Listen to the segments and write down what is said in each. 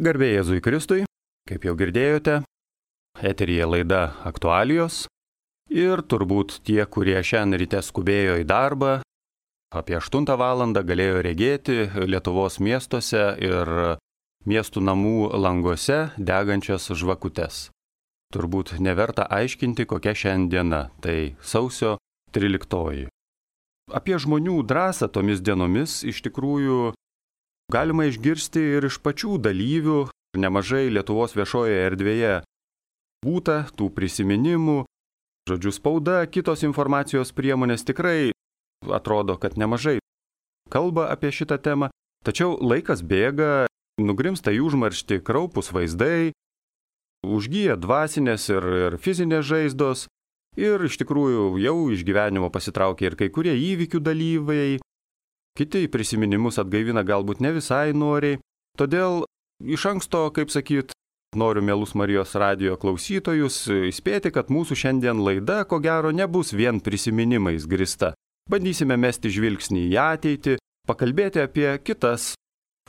Garbė Jėzui Kristui, kaip jau girdėjote, eteryje laida Aktualijos ir turbūt tie, kurie šiandien ryte skubėjo į darbą, apie 8 valandą galėjo regėti Lietuvos miestuose ir miestų namų languose degančias žvakutes. Turbūt neverta aiškinti, kokia šiandiena, tai sausio 13. Apie žmonių drąsą tomis dienomis iš tikrųjų galima išgirsti ir iš pačių dalyvių. Nemažai Lietuvos viešojoje erdvėje būta tų prisiminimų, žodžiu spauda, kitos informacijos priemonės tikrai atrodo, kad nemažai kalba apie šitą temą, tačiau laikas bėga, nugrimsta į užmarštį kraupūs vaizdai, užgyja dvasinės ir fizinės žaizdos ir iš tikrųjų jau iš gyvenimo pasitraukia ir kai kurie įvykių dalyviai, kiti prisiminimus atgaivina galbūt ne visai noriai, todėl iš anksto, kaip sakyt, noriu mielus Marijos radijo klausytojus įspėti, kad mūsų šiandien laida, ko gero, nebus vien prisiminimais grįsta. Bandysime mesti žvilgsnį į ateitį, pakalbėti apie kitas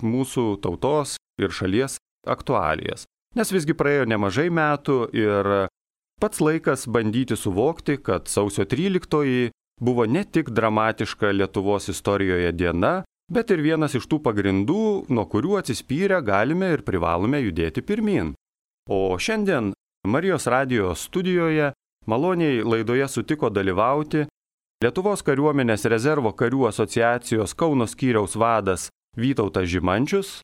mūsų tautos ir šalies aktualijas. Nes visgi praėjo nemažai metų ir pats laikas bandyti suvokti, kad sausio 13 buvo ne tik dramatiška Lietuvos istorijoje diena, bet ir vienas iš tų pagrindų, nuo kurių atsispyrę galime ir privalome judėti pirmyn. O šiandien Marijos radijo studijoje maloniai laidoje sutiko dalyvauti Lietuvos kariuomenės rezervo karių asociacijos Kauno skyriaus vadas Vytautas Žimančius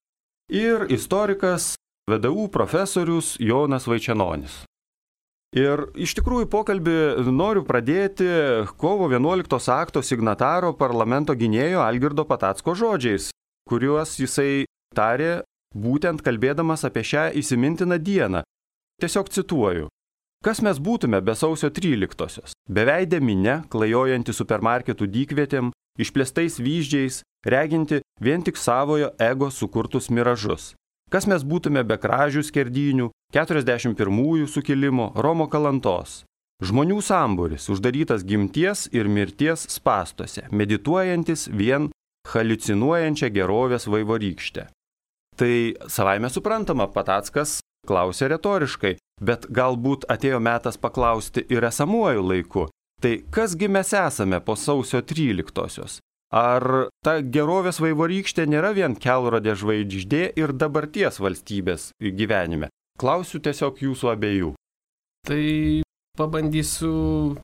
ir istorikas VDU profesorius Jonas Vaičenonis. Ir iš tikrųjų pokalbį noriu pradėti kovo 11 akto signataro parlamento gynėjo Algirdo Patacko žodžiais, kuriuos jisai tarė būtent kalbėdamas apie šią įsimintiną dieną. Tiesiog cituoju. Kas mes būtume be sausio 13-osios? Beveidė minia, klajojanti supermarketų dykvietėm, išplėstais vyzdžiais, reginti vien tik savojo ego sukurtus miražus. Kas mes būtume be kražių skerdynių, 41-ųjų sukilimo, Romo kalantos. Žmonių sambūris, uždarytas gimties ir mirties spąstuose, medituojantis vien haliucinuojančią gerovės vaivorykštę. Tai savaime suprantama, Patackas klausė retoriškai, bet galbūt atėjo metas paklausti ir esamuoju laiku. Tai kasgi mes esame po sausio 13-osios? Ar ta gerovės vaivorykštė nėra vien kelrodė žvaigždė ir dabarties valstybės gyvenime? Klausiu tiesiog jūsų abiejų. Tai pabandysiu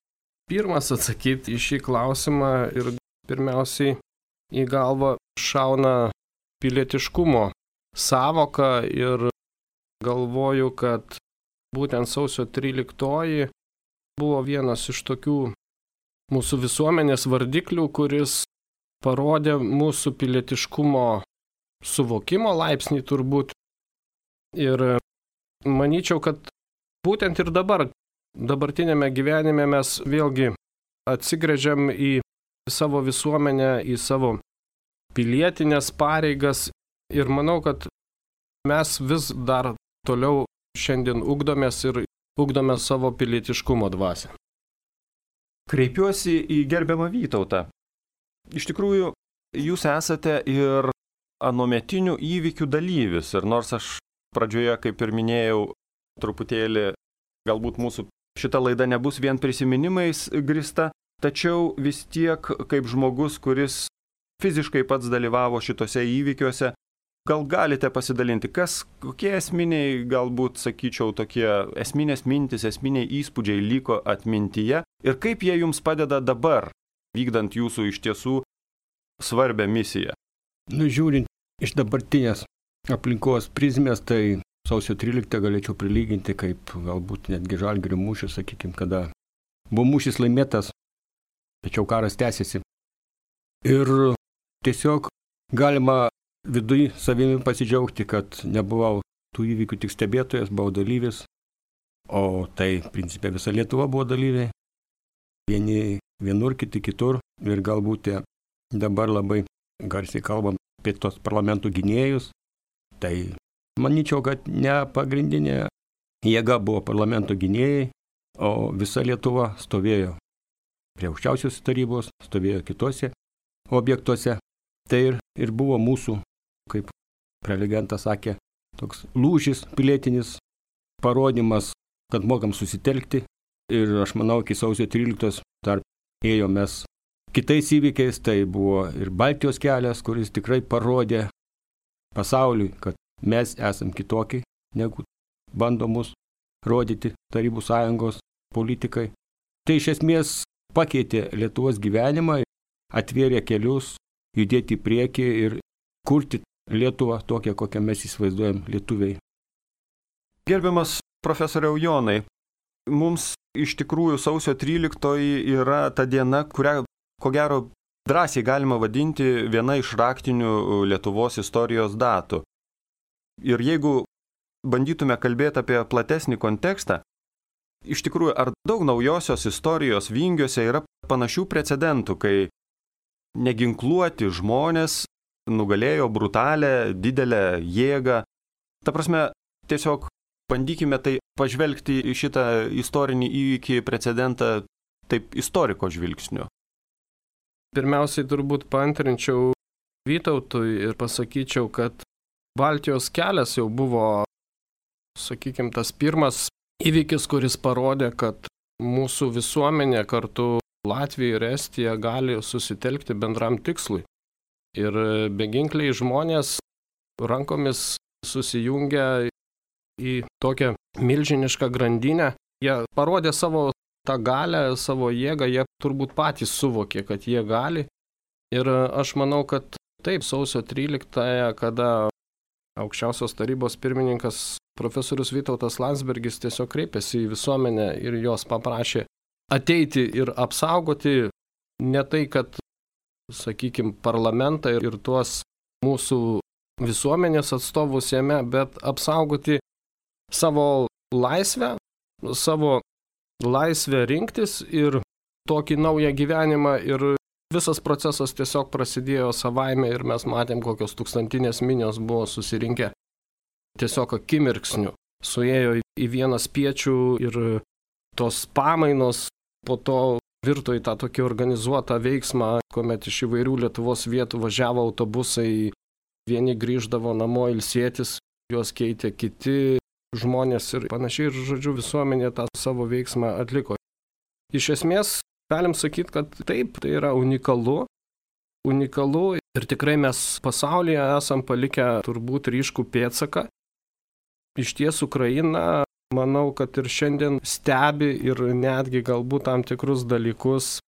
pirmas atsakyti į šį klausimą ir pirmiausiai į galvą šauna pilietiškumo sąvoka ir galvoju, kad būtent sausio 13 buvo vienas iš tokių mūsų visuomenės vardiklių, kuris parodė mūsų pilietiškumo suvokimo laipsnį turbūt. Ir manyčiau, kad būtent ir dabartinėme gyvenime mes vėlgi atsigręžiam į savo visuomenę, į savo pilietinės pareigas. Ir manau, kad mes vis dar toliau šiandien ugdomės ir ugdome savo pilietiškumo dvasią. Kreipiuosi į gerbiamą Vytautą. Iš tikrųjų, jūs esate ir anuometinių įvykių dalyvis. Ir nors aš pradžioje, kaip ir minėjau, truputėlį galbūt mūsų šita laida nebus vien prisiminimais grįsta, tačiau vis tiek kaip žmogus, kuris fiziškai pats dalyvavo šitose įvykiuose, gal galite pasidalinti, kokie esminiai, galbūt sakyčiau, tokie esminės mintis, esminiai įspūdžiai liko atmintyje ir kaip jie jums padeda dabar, vykdant jūsų iš tiesų svarbią misiją? Žiūrint iš dabartinės aplinkos prizmės, tai sausio 13 galėčiau prilyginti kaip galbūt netgi Žalgirio mūšį, sakykime, kada buvo mūšis laimėtas, tačiau karas tęsiasi. Ir tiesiog galima viduj savimi pasidžiaugti, kad nebuvau tų įvykių tik stebėtojas, buvau dalyvis, o tai, principė, visa Lietuva buvo dalyviai. Vieni vienur, kiti kitur ir galbūt dabar labai garsiai kalbam apie tos parlamentų gynėjus. Tai manyčiau, kad ne pagrindinė jėga buvo parlamento gynėjai, o visa Lietuva stovėjo prie aukščiausios tarybos, stovėjo kitose objektuose. Tai ir buvo mūsų, kaip prelegentas sakė, toks lūžis pilietinis, parodymas, kad mokam susitelkti. Ir aš manau, iki sausio 13 dar ėjomės kitais įvykiais, tai buvo ir Baltijos kelias, kuris tikrai parodė pasauliui, kad mes esam kitokie, negu bando mus rodyti Tarybų sąjungos politikai. Tai iš esmės pakeitė Lietuvos gyvenimą, atvėrė kelius, judėti į priekį ir kurti Lietuvą tokią, kokią mes įsivaizduojam lietuviai. Gerbiamas profesoriau Jonai, mums iš tikrųjų sausio 13 yra ta diena, kurią, ko gero, drąsiai galima vadinti viena iš raktinių Lietuvos istorijos datų. Ir jeigu bandytume kalbėti apie platesnį kontekstą, iš tikrųjų, ar daug naujosios istorijos vingiuose yra panašių precedentų, kai neginkluoti žmonės nugalėjo brutalę, didelę jėgą. Ta prasme, tiesiog bandykime tai pažvelgti į šitą istorinį įvykį precedentą taip istoriko žvilgsniu. Pirmiausiai turbūt paantrinčiau Vytautui ir pasakyčiau, kad Baltijos kelias jau buvo, sakykime, tas pirmas įvykis, kuris parodė, kad mūsų visuomenė kartu Latvija ir Estija gali susitelkti bendram tikslui. Ir beginkliai žmonės rankomis susijungia į tokią milžinišką grandinę. Jie parodė savo tą galę, savo jėgą, jie turbūt patys suvokė, kad jie gali. Ir aš manau, kad taip, sausio 13-ąją, kada aukščiausios tarybos pirmininkas profesorius Vytautas Landsbergis tiesiog kreipėsi į visuomenę ir jos paprašė ateiti ir apsaugoti ne tai, kad, sakykime, parlamentą ir tuos mūsų visuomenės atstovus jame, bet apsaugoti savo laisvę rinktis ir tokį naują gyvenimą. Ir visas procesas tiesiog prasidėjo savaime ir mes matėm, kokios tūkstantinės minios buvo susirinkę tiesiog akimirksniu. Suėjo į vieną spiečių ir tos pamainos po to virto į tą tokį organizuotą veiksmą, kuomet iš įvairių Lietuvos vietų važiavo autobusai, vieni grįždavo namo ilsėtis, juos keitė kiti žmonės ir panašiai, ir žodžiu visuomenė tą savo veiksmą atliko. Iš esmės, galim sakyti, kad taip, tai yra unikalu ir tikrai mes pasaulyje esam palikę turbūt ryškų pėdsaką. Iš ties Ukraina, manau, kad ir šiandien stebi ir netgi galbūt tam tikrus dalykus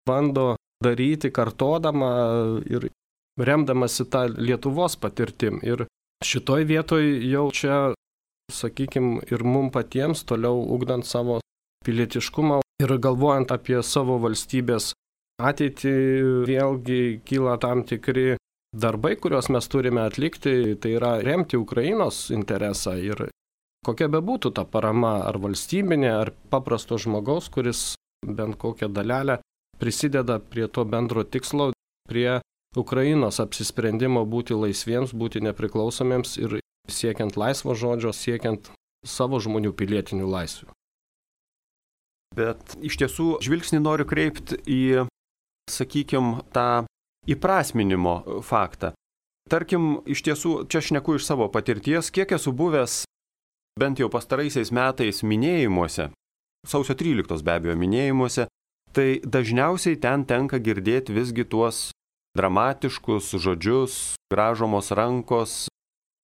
bando daryti, kartodama ir remdamasi tą Lietuvos patirtim. Ir šitoj vietoj jau čia, sakykime, ir mum patiems toliau ugdant savo pilietiškumą ir galvojant apie savo valstybės ateitį, vėlgi kyla tam tikri darbai, kuriuos mes turime atlikti, tai yra remti Ukrainos interesą ir kokia bebūtų ta parama, ar valstybinė, ar paprasto žmogaus, kuris bent kokią dalelę prisideda prie to bendro tikslo, prie Ukrainos apsisprendimo būti laisviems, būti nepriklausomiems ir siekiant laisvo žodžio, siekiant savo žmonių pilietinių laisvių. Bet iš tiesų žvilgsnį noriu kreipti į, sakykime, tą įprasminimo faktą. Tarkim, iš tiesų, čia šneku iš savo patirties, kiek esu buvęs bent jau pastaraisiais metais minėjimuose, sausio 13 be abejo minėjimuose, tai dažniausiai ten tenka girdėti visgi tuos dramatiškus žodžius, gražomos rankos.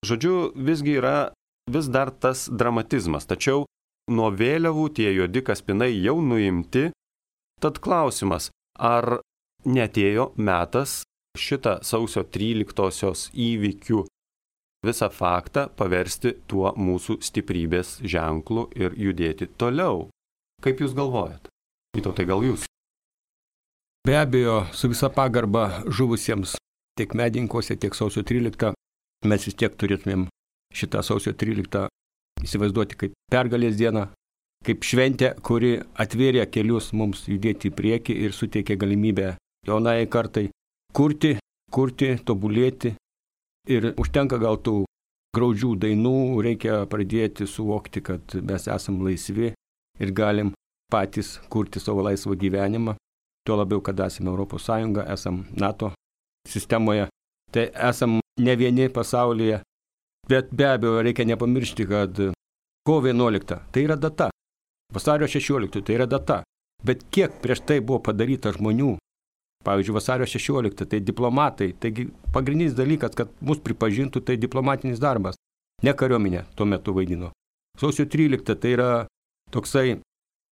Žodžiu, visgi yra vis dar tas dramatizmas, tačiau nuo vėliavų tie juodi kaspinai jau nuimti. Tad klausimas, ar neatėjo metas šitą sausio 13-osios įvykių visą faktą paversti tuo mūsų stiprybės ženklu ir judėti toliau? Kaip jūs galvojat? Vytautai, gal jūs? Be abejo, su visa pagarba žuvusiems tiek medinkose, tiek sausio 13, mes vis tiek turėtumėm šitą sausio 13 įsivaizduoti kaip pergalės dieną, kaip šventę, kuri atvėrė kelius mums judėti į priekį ir suteikė galimybę jaunai kartai kurti, tobulėti. Ir užtenka gal tų graudžių dainų, reikia pradėti suvokti, kad mes esam laisvi ir galim patys kurti savo laisvą gyvenimą. Tuo labiau, kad esame Europos Sąjunga, esam NATO sistemoje. Tai esam ne vieni pasaulyje Bet be abejo reikia nepamiršti, kad kovo 11 tai yra data, vasario 16 tai yra data. Bet kiek prieš tai buvo padaryta žmonių, pavyzdžiui, vasario 16 tai diplomatai, taigi pagrindinis dalykas, kad mus pripažintų, tai diplomatinis darbas, ne kariuomenė tuo metu vaidino. Sausio 13 tai yra toksai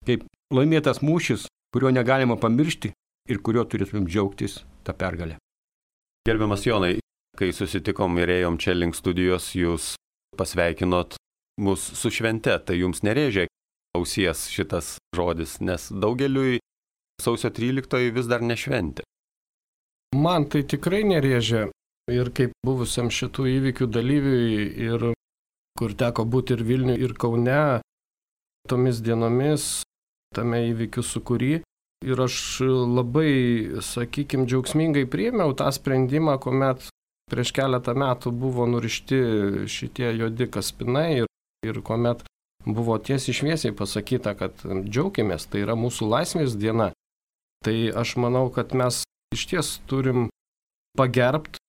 kaip laimėtas mūšis, kurio negalima pamiršti ir kurio turėtumėm džiaugtis tą pergalę. Gerbiamas Jonai, kai susitikom ir ėjom čia link studijos, jūs pasveikinot mus su švente, tai jums nerėžė ausies šitas žodis, nes daugeliui sausio 13 vis dar nešventė. Man tai tikrai nerėžė ir kaip buvusiam šitų įvykių dalyviui ir kur teko būti ir Vilniuje, ir Kaune tomis dienomis, tame įvykių sūkury. Ir aš labai, sakykime, džiaugsmingai priėmiau tą sprendimą, kuomet prieš keletą metų buvo nurišti šitie juodi kaspinai ir kuomet buvo tiesiai šviesiai pasakyta, kad džiaukimės, tai yra mūsų laisvės diena. Tai aš manau, kad mes iš ties turim pagerbti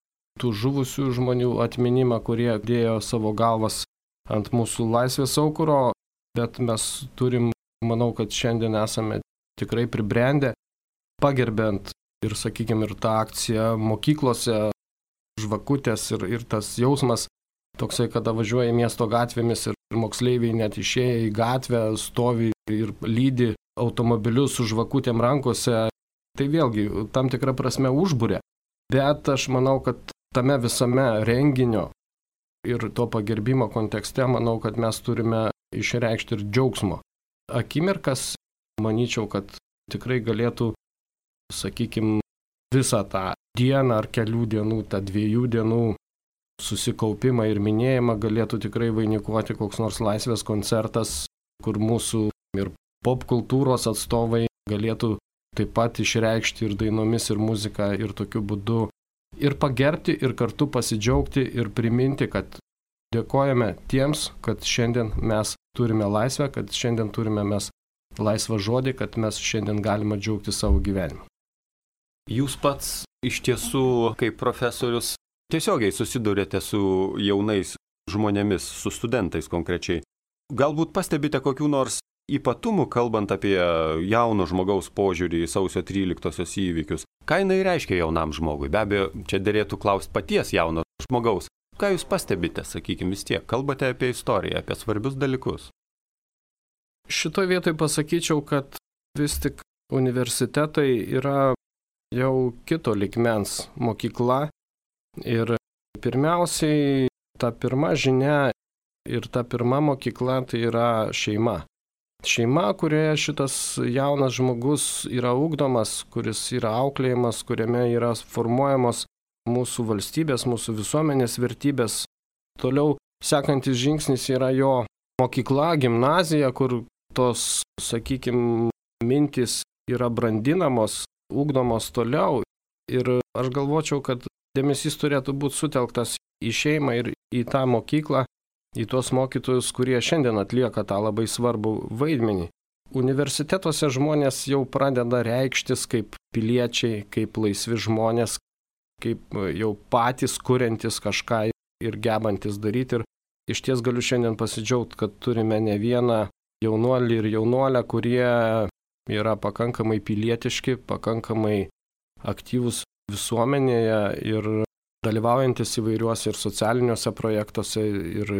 tų žuvusių žmonių atminimą, kurie dėjo savo galvas ant mūsų laisvės aukuro, bet mes turim, manau, kad šiandien esame tikrai pribrendę, pagerbent ir, sakykime, ir tą akciją mokyklose, žvakutės ir tas jausmas toksai, kada važiuoja miesto gatvėmis ir moksleiviai net išėję į gatvę, stovi ir lydi automobilius su žvakutėm rankose, tai vėlgi tam tikrą prasme užbūrė. Bet aš manau, kad tame visame renginio ir to pagerbimo kontekste, manau, kad mes turime išreikšti ir džiaugsmo akimirkas. Manyčiau, kad tikrai galėtų, sakykime, visą tą dieną ar kelių dienų, tą 2 dienų susikaupimą ir minėjimą galėtų tikrai vainikuoti koks nors laisvės koncertas, kur mūsų ir popkultūros atstovai galėtų taip pat išreikšti ir dainomis, ir muziką, ir tokiu būdu ir pagerbti, ir kartu pasidžiaugti, ir priminti, kad dėkojame tiems, kad šiandien mes turime laisvę, kad šiandien turime mes laisvą žodį, kad mes šiandien galime džiaugti savo gyvenimą. Jūs pats iš tiesų, kaip profesorius, tiesiogiai susidurėte su jaunais žmonėmis, su studentais konkrečiai. Galbūt pastebite kokių nors ypatumų, kalbant apie jauno žmogaus požiūrį į sausio 13-osios įvykius. Ką jinai reiškia jaunam žmogui? Be abejo, čia derėtų klausti paties jauno žmogaus. Ką jūs pastebite, sakykime, vis tiek? Kalbate apie istoriją, apie svarbius dalykus. Šitoje vietoje pasakyčiau, kad vis tik universitetai yra jau kito lygmens mokykla ir pirmiausiai ta pirma žinia ir ta pirma mokykla tai yra šeima. Šeima, kurioje šitas jaunas žmogus yra ugdomas, kuris yra auklėjimas, kuriame yra formuojamos mūsų valstybės, mūsų visuomenės vertybės. Toliau sekantis žingsnis yra jo mokykla, gimnazija, kur tos, sakykime, mintys yra brandinamos, ugdomos toliau. Ir aš galvočiau, kad dėmesys turėtų būti sutelktas į šeimą ir į tą mokyklą, į tuos mokytojus, kurie šiandien atlieka tą labai svarbų vaidmenį. Universitetuose žmonės jau pradeda reikštis kaip piliečiai, kaip laisvi žmonės, kaip jau patys kuriantis kažką ir gebantis daryti. Ir iš ties galiu šiandien pasidžiaugti, kad turime ne vieną jaunuolį ir jaunuolę, kurie yra pakankamai pilietiški, pakankamai aktyvūs visuomenėje ir dalyvaujantis įvairiuose ir socialiniuose projektuose ir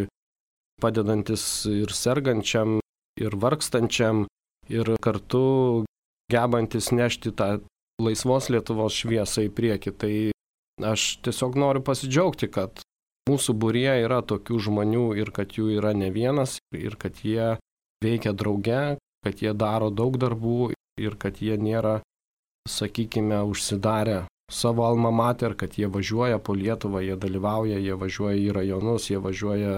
padedantis ir sergančiam, ir vargstančiam, ir kartu gebantis nešti tą laisvos Lietuvos šviesą į priekį. Tai aš tiesiog noriu pasidžiaugti, kad mūsų būryje yra tokių žmonių ir kad jų yra ne vienas ir kad jie veikia drauge, kad jie daro daug darbų ir kad jie nėra, sakykime, užsidarę savo alma mater, kad jie važiuoja po Lietuvą, jie dalyvauja, jie važiuoja į rajonus, jie važiuoja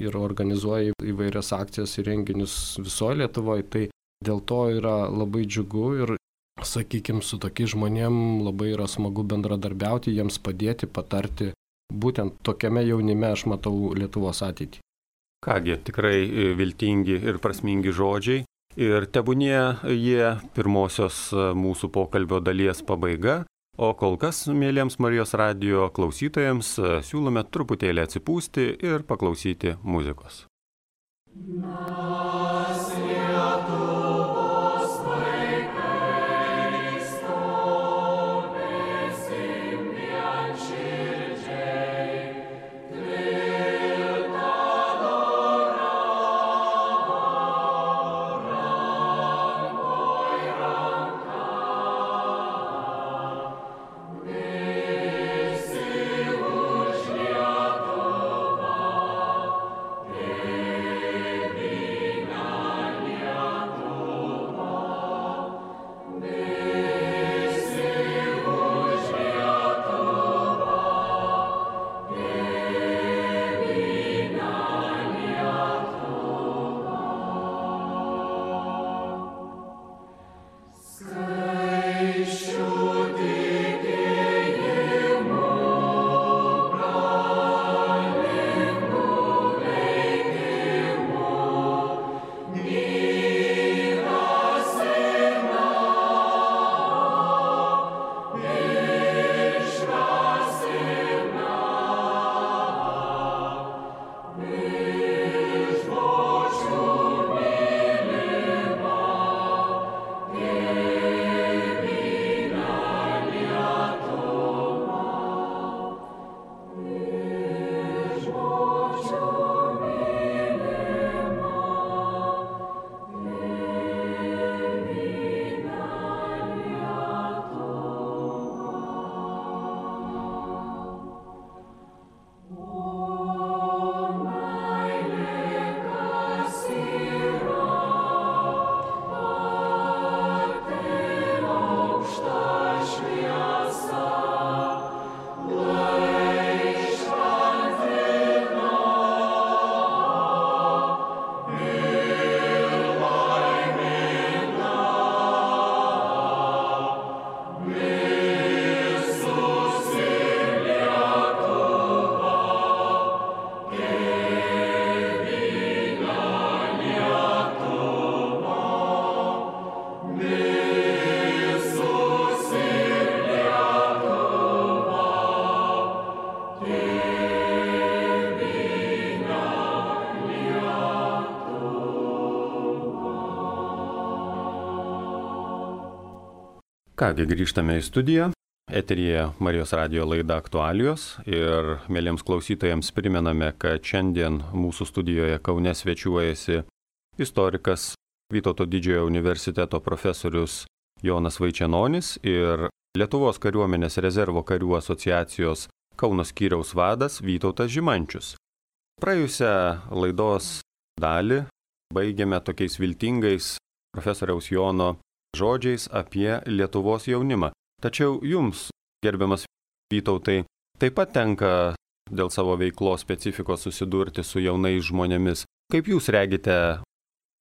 ir organizuoja įvairias akcijas ir renginius visoje Lietuvoje. Tai dėl to yra labai džiugu ir, sakykime, su tokiais žmonėm labai yra smagu bendradarbiauti, jiems padėti, patarti. Būtent tokiame jaunime aš matau Lietuvos ateitį. Kągi, tikrai viltingi ir prasmingi žodžiai. Ir tebūnie jie pirmosios mūsų pokalbio dalies pabaiga. O kol kas, mėlyms Marijos radijo klausytojams, siūlome truputėlį atsipūsti ir paklausyti muzikos. Kągi, grįžtame į studiją. Eteryje Marijos radijo laida Aktualijos ir mėlyms klausytojams primename, kad šiandien mūsų studijoje Kaune svečiuojasi istorikas Vytauto didžiojo universiteto profesorius Jonas Vaičenonis ir Lietuvos kariuomenės rezervo karių asociacijos Kauno skyriaus vadas Vytautas Žimančius. Praėjusią laidos dalį baigėme tokiais viltingais profesoriaus Jono žodžiais apie Lietuvos jaunimą. Tačiau jums, gerbiamas Vytautai, taip pat tenka dėl savo veiklos specifikos susidurti su jaunais žmonėmis. Kaip jūs regite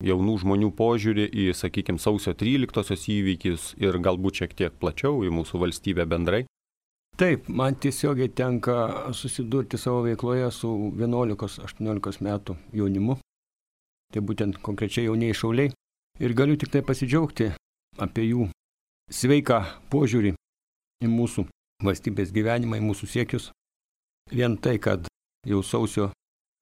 jaunų žmonių požiūrį į, sakykime, sausio 13-osios įvykius ir galbūt šiek tiek plačiau į mūsų valstybę bendrai? Taip, man tiesiogiai tenka susidurti savo veikloje su 11-18 metų jaunimu. Tai būtent konkrečiai jaunieji šauliai. Ir galiu tik tai pasidžiaugti apie jų sveiką požiūrį į mūsų valstybės gyvenimą, į mūsų siekius. Vien tai, kad jau sausio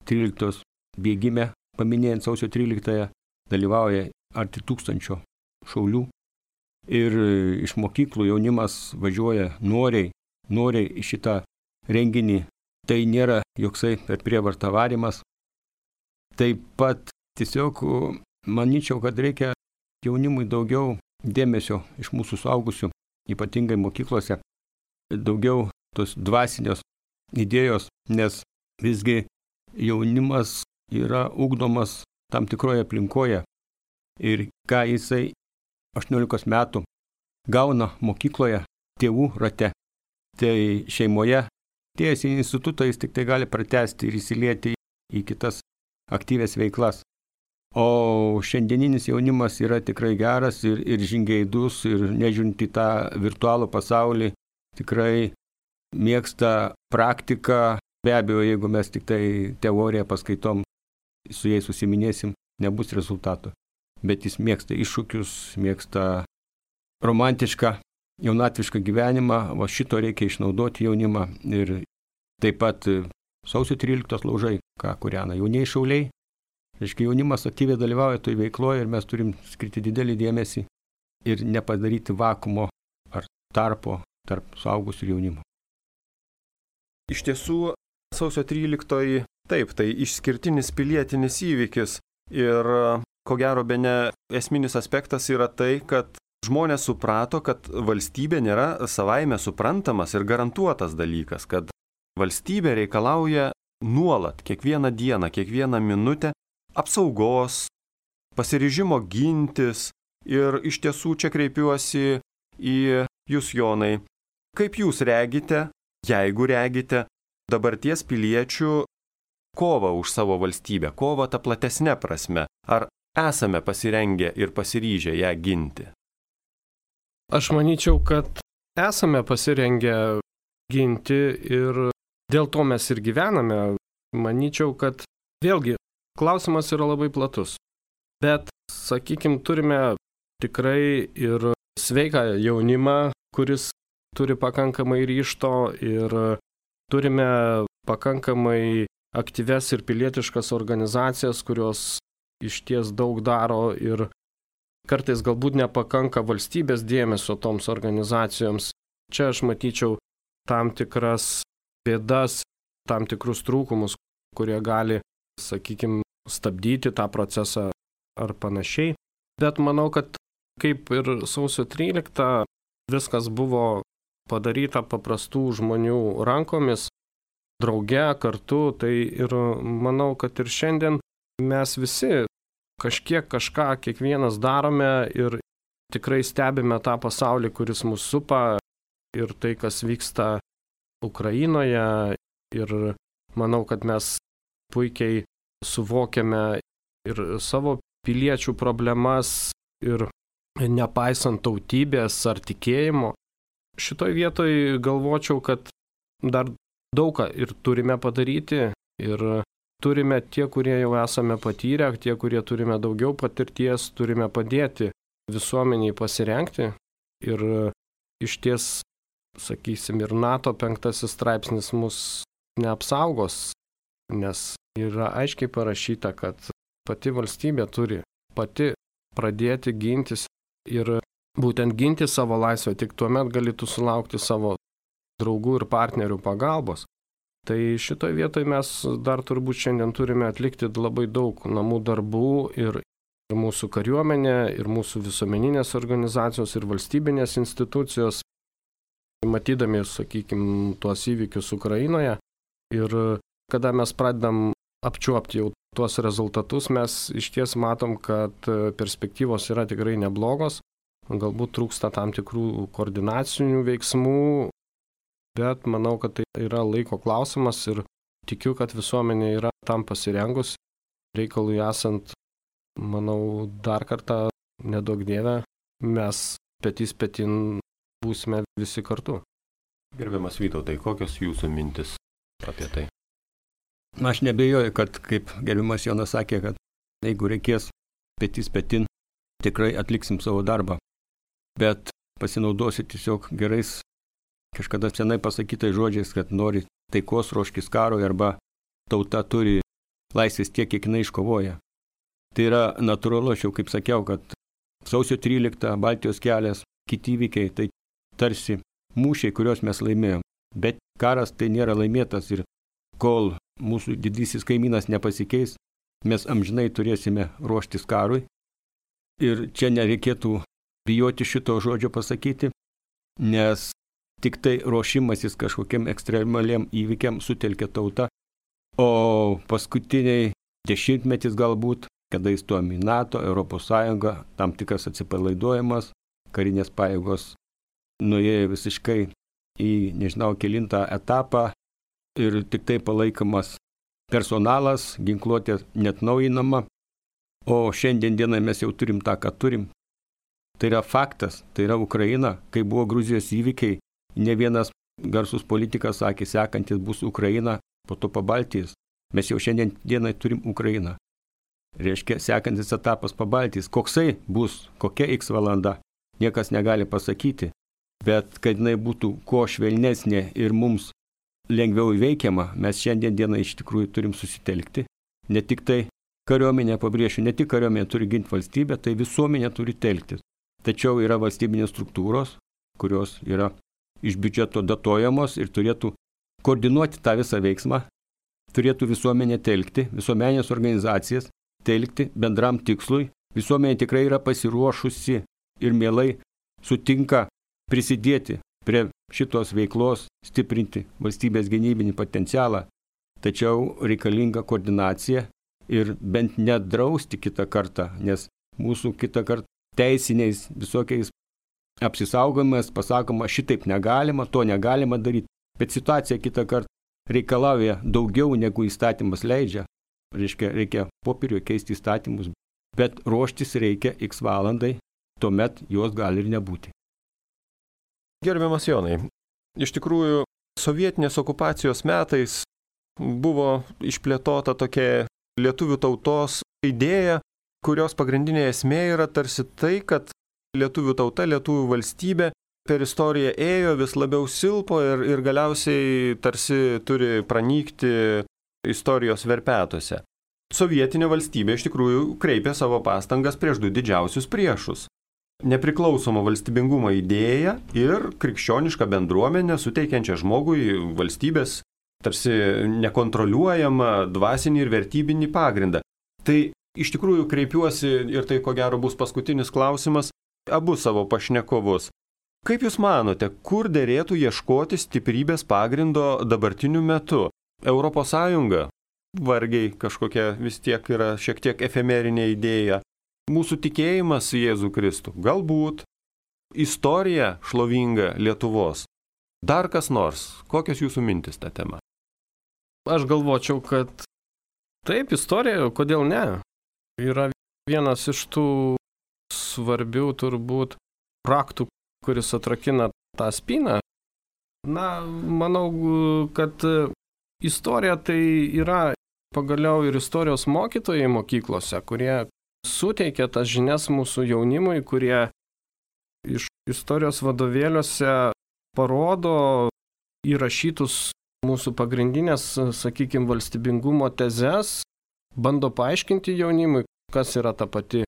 13 bėgime, paminėjant sausio 13-ąją, dalyvauja arti 1000 šaulių. Ir iš mokyklų jaunimas važiuoja noriai į šitą renginį. Tai nėra joksai per prievartą varymas. Taip pat tiesiog manyčiau, kad reikia jaunimui daugiau dėmesio iš mūsų suaugusių, ypatingai mokyklose, daugiau tos dvasinios idėjos, nes visgi jaunimas yra ugdomas tam tikroje aplinkoje ir ką jisai 18 metų gauna mokykloje, tėvų rate, tai šeimoje, atėjęs į institutą jis tik tai gali pratęsti ir įsilieti į kitas aktyvias veiklas. O šiandieninis jaunimas yra tikrai geras ir žingeidus ir nežiūrint į tą virtualų pasaulį, tikrai mėgsta praktiką. Be abejo, jeigu mes tik tai teoriją paskaitom, su jais susiminėsim, nebus rezultato. Bet jis mėgsta iššūkius, mėgsta romantišką jaunatvišką gyvenimą, va šito reikia išnaudoti jaunimą. Ir taip pat sausio 13 laužai, ką kūrena jaunieji šauliai. Reiškia, jaunimas aktyviai dalyvauja toj veikloje ir mes turim skirti didelį dėmesį ir nepadaryti vakumo ar tarpo tarp suaugusių ir jaunimo. Iš tiesų, sausio 13, taip, tai išskirtinis pilietinis įvykis ir ko gero bene esminis aspektas yra tai, kad žmonės suprato, kad valstybė nėra savaime suprantamas ir garantuotas dalykas, kad valstybė reikalauja nuolat, kiekvieną dieną, kiekvieną minutę apsaugos, pasiryžimo gintis ir iš tiesų čia kreipiuosi į jūs, Jonai. Kaip jūs regite, jeigu regite, dabarties piliečių kovą už savo valstybę, kovą tą platesnę prasme? Ar esame pasirengę ir pasiryžę ją ginti? Aš manyčiau, kad esame pasirengę ginti ir dėl to mes ir gyvename. Manyčiau, kad vėlgi klausimas yra labai platus. Bet, sakykime, turime tikrai ir sveiką jaunimą, kuris turi pakankamai ryžto ir turime pakankamai aktyves ir pilietiškas organizacijas, kurios išties daug daro ir kartais galbūt nepakanka valstybės dėmesio toms organizacijoms. Čia aš matyčiau tam tikras bėdas, tam tikrus trūkumus, kurie gali, sakykime, stabdyti tą procesą ar panašiai. Bet manau, kad kaip ir sausio 13 viskas buvo padaryta paprastų žmonių rankomis, drauge, kartu, tai ir manau, kad ir šiandien mes visi kažką kiekvienas darome ir tikrai stebime tą pasaulį, kuris mus supa ir tai, kas vyksta Ukrainoje. Ir manau, kad mes puikiai suvokiame ir savo piliečių problemas ir nepaisant tautybės ar tikėjimo. Šitoj vietoj galvočiau, kad dar daug ką ir turime padaryti ir turime tie, kurie jau esame patyrę, tie, kurie turime daugiau patirties, turime padėti visuomeniai pasirengti ir išties, sakysim, ir NATO 5 straipsnis mus neapsaugos, nes yra aiškiai parašyta, kad pati valstybė turi pati pradėti gintis ir būtent ginti savo laisvę, tik tuomet galėtų sulaukti savo draugų ir partnerių pagalbos. Tai šitoje vietoje mes dar turbūt šiandien turime atlikti labai daug namų darbų ir mūsų kariuomenė, ir mūsų visuomeninės organizacijos, ir valstybinės institucijos, matydami, sakykime, tuos įvykius Ukrainoje. Ir kada mes pradedam apčiuopti jau tuos rezultatus, mes išties matom, kad perspektyvos yra tikrai neblogos. Galbūt trūksta tam tikrų koordinacinių veiksmų, bet manau, kad tai yra laiko klausimas ir tikiu, kad visuomenė yra tam pasirengus. Reikalui esant, manau, dar kartą, nedaug dieve, mes petys petin būsime visi kartu. Gerbiamas Vytautai, kokios jūsų mintis apie tai? Aš nebejoju, kad, kaip gerbiamas Jonas sakė, kad jeigu reikės petys petin, tikrai atliksim savo darbą. Bet pasinaudosiu tiesiog gerais kažkada senai pasakytais žodžiais, kad nori taikos, ruoškis karui, arba tauta turi laisvės tiek, kiek jinai iškovoja. Tai yra natūralu, aš jau kaip sakiau, kad sausio 13, Baltijos kelias, kiti įvykiai, tai tarsi mūšiai, kuriuos mes laimėjom. Bet karas tai nėra laimėtas ir kol mūsų didysis kaimynas nepasikeis, mes amžinai turėsime ruoštis karui. Ir čia nereikėtų bijoti šito žodžio pasakyti, nes tik tai ruošimasis kažkokiam ekstremaliam įvykiam sutelkia tauta, o paskutiniai dešimtmetis galbūt, kada įstojom į NATO, Europos Sąjungą, tam tikras atsipalaiduojamas, karinės pajėgos nuėjo visiškai į nežinau kelintą etapą ir tik tai palaikomas personalas, ginkluotė netnaujinama, o šiandien dieną mes jau turim tą, ką turim. Tai yra faktas, tai yra Ukraina, kai buvo Gruzijos įvykiai, ne vienas garsus politikas sakė, sekantis bus Ukraina, po to Pabaltijos. Mes jau šiandien dienai turim Ukrainą. Reiškia, sekantis etapas Pabaltijos. Koksai bus, kokia X valanda, niekas negali pasakyti. bet kad jinai būtų kuo švelnesnė ir mums lengviau įveikiama, mes šiandien dieną iš tikrųjų turim susitelkti. Ne tik tai kariuomenė, pabrėšiu, ne tik kariuomenė turi ginti valstybę, tai visuomenė turi telktis. Tačiau yra valstybinės struktūros, kurios yra iš biudžeto datuojamos ir turėtų koordinuoti tą visą veiksmą, turėtų visuomenė telkti, visuomenės organizacijas telkti bendram tikslui. Visuomenė tikrai yra pasiruošusi ir mielai sutinka prisidėti prie šitos veiklos, stiprinti valstybės gynybinį potencialą, tačiau reikalinga koordinacija ir bent nedrausti kitą kartą, nes mūsų kitą kartą teisiniais visokiais apsisaugojimas pasakoma, šitaip negalima, to negalima daryti, bet situacija kitą kartą reikalauja daugiau negu įstatymas leidžia. Reikia popieriuje keisti įstatymus, bet ruoštis reikia x valandai, tuomet jos gali ir nebūti. Gerbiamas Jonai, iš tikrųjų sovietinės okupacijos metais buvo išplėtota tokia lietuvių tautos idėja, kurios pagrindinė esmė yra tarsi tai, kad lietuvių tauta, lietuvių valstybė per istoriją ėjo, vis labiau silpo ir galiausiai tarsi turi pranykti istorijos verpetuose. Sovietinė valstybė iš tikrųjų kreipė savo pastangas prieš du didžiausius priešus. Nepriklausomą valstybingumo idėją ir krikščionišką bendruomenę suteikiančią žmogui valstybės tarsi nekontroliuojamą dvasinį ir vertybinį pagrindą. Tai iš tikrųjų kreipiuosi, ir tai ko gero bus paskutinis klausimas, abu savo pašnekovus. Kaip Jūs manote, kur derėtų ieškoti stiprybės pagrindo dabartiniu metu? Europos Sąjunga vargiai kažkokia vis tiek yra šiek tiek efemerinė idėja. Mūsų tikėjimas į Jėzų Kristų. Galbūt istorija šlovinga Lietuvos. Dar kas nors. Kokios Jūsų mintis tą temą? Aš galvočiau, kad taip, istorija, kodėl ne? Yra vienas iš tų svarbių turbūt raktų, kuris atrakina tą spyną. Na, manau, kad istorija tai yra pagaliau ir istorijos mokytojai mokyklose, kurie suteikia tas žinias mūsų jaunimui, kurie iš istorijos vadovėliuose parodo įrašytus mūsų pagrindinės, sakykime, valstybingumo tezes, bando paaiškinti jaunimui, kas yra ta pati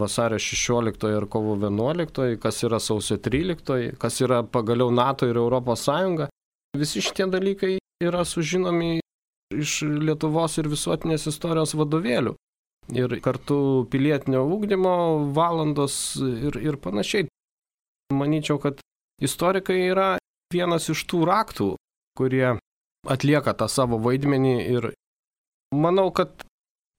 vasario 16 ir kovo 11, kas yra sausio 13, kas yra pagaliau NATO ir Europos Sąjunga. Visi šitie dalykai yra sužinomi iš Lietuvos ir visuotinės istorijos vadovėlių. Ir kartu pilietinio ugdymo valandos ir panašiai. Manyčiau, kad istorikai yra vienas iš tų raktų, kurie atlieka tą savo vaidmenį ir manau, kad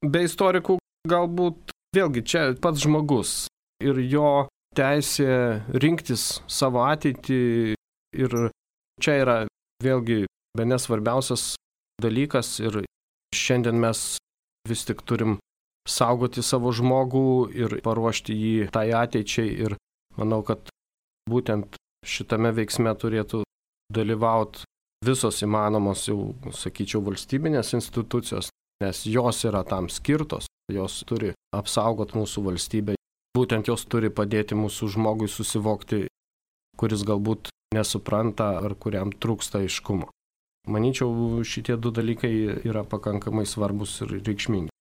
be istorikų galbūt vėlgi čia pats žmogus ir jo teisė rinktis savo ateitį ir čia yra vėlgi bene svarbiausias dalykas ir šiandien mes vis tik turim saugoti savo žmogų ir paruošti jį tai ateičiai ir manau, kad būtent šitame veiksme turėtų dalyvauti visos įmanomos jau, sakyčiau, valstybinės institucijos, nes jos yra tam skirtos, jos turi apsaugoti mūsų valstybę, būtent jos turi padėti mūsų žmogui susivokti, kuris galbūt nesupranta ar kuriam trūksta aiškumo. Manyčiau, šitie du dalykai yra pakankamai svarbus ir reikšmingi.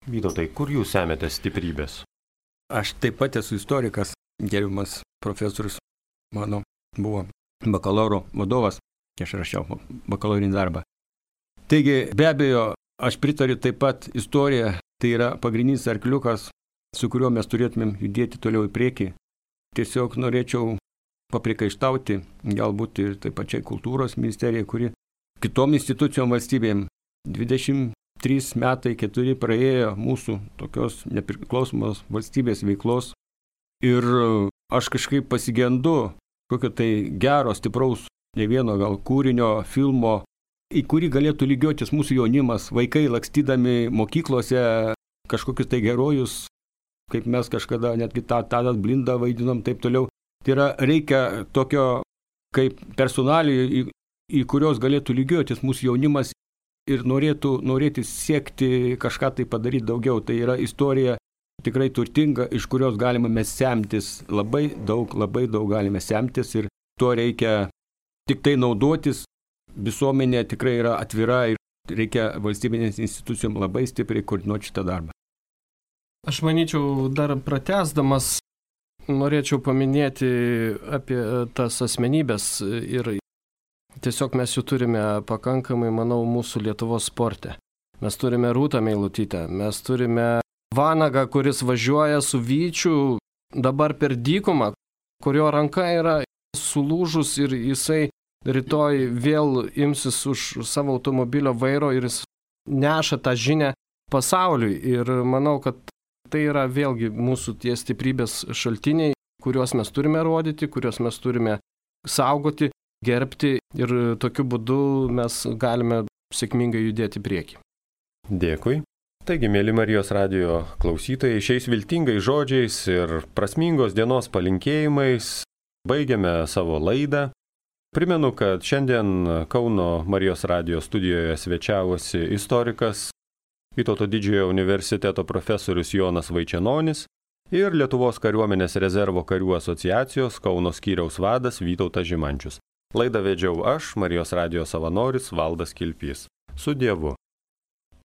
Vytautai, kur Jūs semiate stiprybės? Aš taip pat esu istorikas, gerbiamas profesorius mano buvo bakalauro vadovas, aš rašiau bakalaurinį darbą. Taigi, be abejo, aš pritariu taip pat istorija, tai yra pagrindinis arkliukas, su kuriuo mes turėtumėm judėti toliau į priekį. Tiesiog norėčiau paprikaištauti, galbūt ir taip pačiai kultūros ministerijai, kuri kitom institucijom valstybėm 23 metai, 4 praėjo mūsų tokios nepriklausomos valstybės veiklos ir aš kažkaip pasigendu kokio tai gero, stipraus, ne vieno gal kūrinio, filmo, į kurį galėtų lygiotis mūsų jaunimas, vaikai lakstydami mokyklose kažkokius tai herojus, kaip mes kažkada netgi Tadas Blindą vaidinom, taip toliau. Tai yra, reikia tokio kaip personalijų, į kurios galėtų lygiotis mūsų jaunimas ir norėtų siekti kažką tai padaryti daugiau. Tai yra istorija tikrai turtinga, iš kurios galime mes semtis. Labai daug galime semtis ir tuo reikia tik tai naudotis. Visuomenė tikrai yra atvira ir reikia valstybinės institucijom labai stipriai koordinuoti šitą darbą. Aš manyčiau, dar pratęsdamas, norėčiau paminėti apie tas asmenybės ir tiesiog mes jų turime pakankamai, manau, mūsų Lietuvos sporte. Mes turime Rūtą Meilutytę, mes turime Vanagą, kuris važiuoja su Vyčiu dabar per dykumą, kurio ranka yra sulūžus ir jisai rytoj vėl imsis už savo automobilio vairo ir jis neša tą žinią pasauliui. Ir manau, kad tai yra vėlgi mūsų tie stiprybės šaltiniai, kuriuos mes turime rodyti, kuriuos mes turime saugoti, gerbti ir tokiu būdu mes galime sėkmingai judėti į priekį. Dėkui. Taigi, mėly Marijos radijo klausytojai, šiais viltingais žodžiais ir prasmingos dienos palinkėjimais baigiame savo laidą. Primenu, kad šiandien Kauno Marijos radijo studijoje svečiavosi istorikas, Vytauto Didžiojo universiteto profesorius Jonas Vaičenonis ir Lietuvos kariuomenės rezervo karių asociacijos Kauno skyriaus vadas Vytautas Žimančius. Laidą vedžiau aš, Marijos radijo savanoris Valdas Kilpys. Su Dievu.